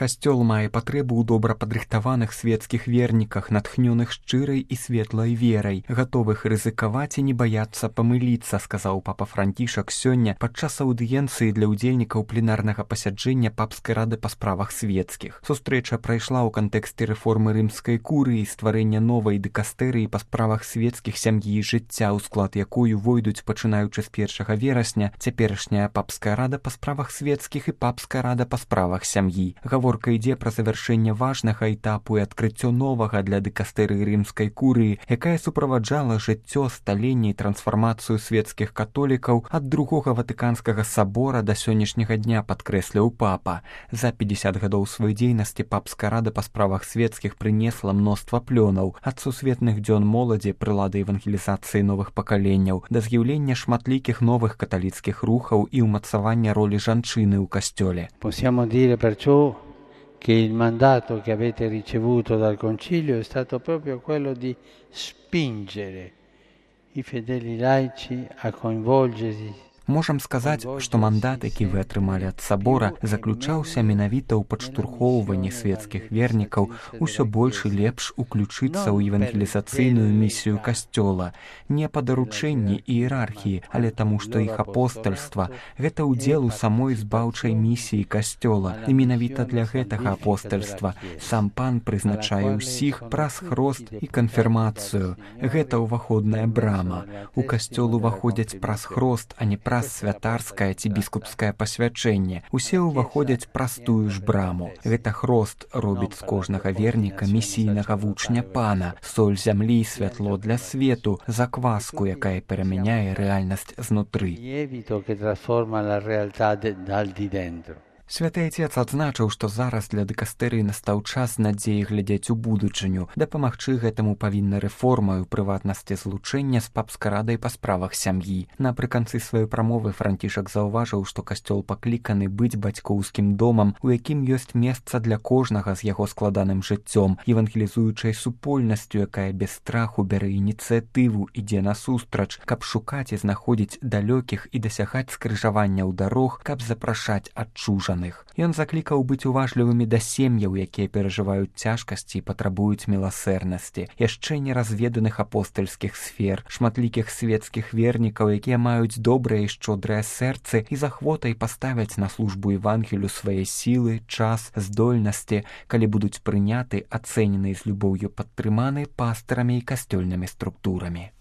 Касцёл мае патрэбу ў добра падрыхтаваных свецкіх верніках, натхнёных шчырай і светлай верай, гатовых рызыкаваць і не баяцца памыліцца, сказаў папа Францішак сёння падчас аўдыенцыі для ўдзельнікаў пленарнага пасяджэння папскай рады па справах свецкіх. Сустрэча прайшла ў кантэксце рэформы рымскай курыі і стварэння новай дыкастэрыі па справах свецкіх, сям'і і жыцця, у склад якой увойдуць, пачынаючы з 1 верасня, цяперашняя папская рада па справах свецкіх і папская рада па справах сям'і. Гаворка ідзе пра завяршэнне важнага этапу і адкрыццё новага для дыкастэрыі рымскай курыі, якая суправаджала жыццё, сталенне і трансфармацыю свецкіх католікаў ад другога ватыканскага сабора да сённяшняга дня, падкрэсліў папа. За 50 гадоў сваёй дзейнасці папская рада па справах свецкіх прынесла мноства плёнаў, ад сусветных дзён моладзі, прылады евангелізацыі новых пакаленняў, да з'яўлення шматлікіх новых каталіцкіх рухаў і ўмацавання ролі жанчыны ў касцёле. Possiamo dire perciò che il mandato che avete ricevuto dal Concilio è stato proprio quello di spingere i fedeli laici a coinvolgersi. Можам сказаць, што мандат, які вы атрымалі ад сабора, заключаўся менавіта ў падштурхоўванні свецкіх вернікаў усё больш і лепш уключыцца ў евангелізацыйную місію касцёла. Не па даручэнні і іерархіі, але таму, што іх апостальства – гэта ўдзел у самой збаўчай місіі касцёла. І менавіта для гэтага апостальства сам пан прызначае ўсіх праз хрост і канфірмацыю. Гэта ўваходная брама. У касцёл уваходзяць праз хрост, а не праз святарскае ці біскупскае пасвячэнне. Усе ўваходзяць праз тую ж браму. Гэта хрост робіць з кожнага верніка місійнага вучня пана, соль зямлі і святло для свету, закваску, якая перамяняе рэальнасць знутры. Святы Отец адзначыў, што зараз для дыкастэрыі настаў час надзеі глядзець у будучыню. Дапамагчы гэтаму павінна рэформа, у прыватнасці злучэння з папскай радай па справах сям'і. Напрыканцы сваёй прамовы Францішак заўважыў, што касцёл пакліканы быць бацькоўскім домам, у якім ёсць месца для кожнага з яго складаным жыццём, евангелізуючай супольнасцю, якая без страху бярэ ініцыятыву, ідзе насустрач, каб шукаць і знаходзіць далёкіх і дасягаць скрыжаванняў дарог, каб запрашаць адчужаных. Ён заклікаў быць уважлівымі да сем'яў, якія перажываюць цяжкасці і патрабуюць міласэрнасці, яшчэ не разведаных апостальскіх сфер, шматлікіх свецкіх вернікаў, якія маюць добрыя і шчодрыя сэрцы і з ахвотай паставяць на службу Евангелю свае сілы, час, здольнасці, калі будуць прыняты, ацэнены і з любоўю падтрыманы пастарамі і касцёльнымі структурамі.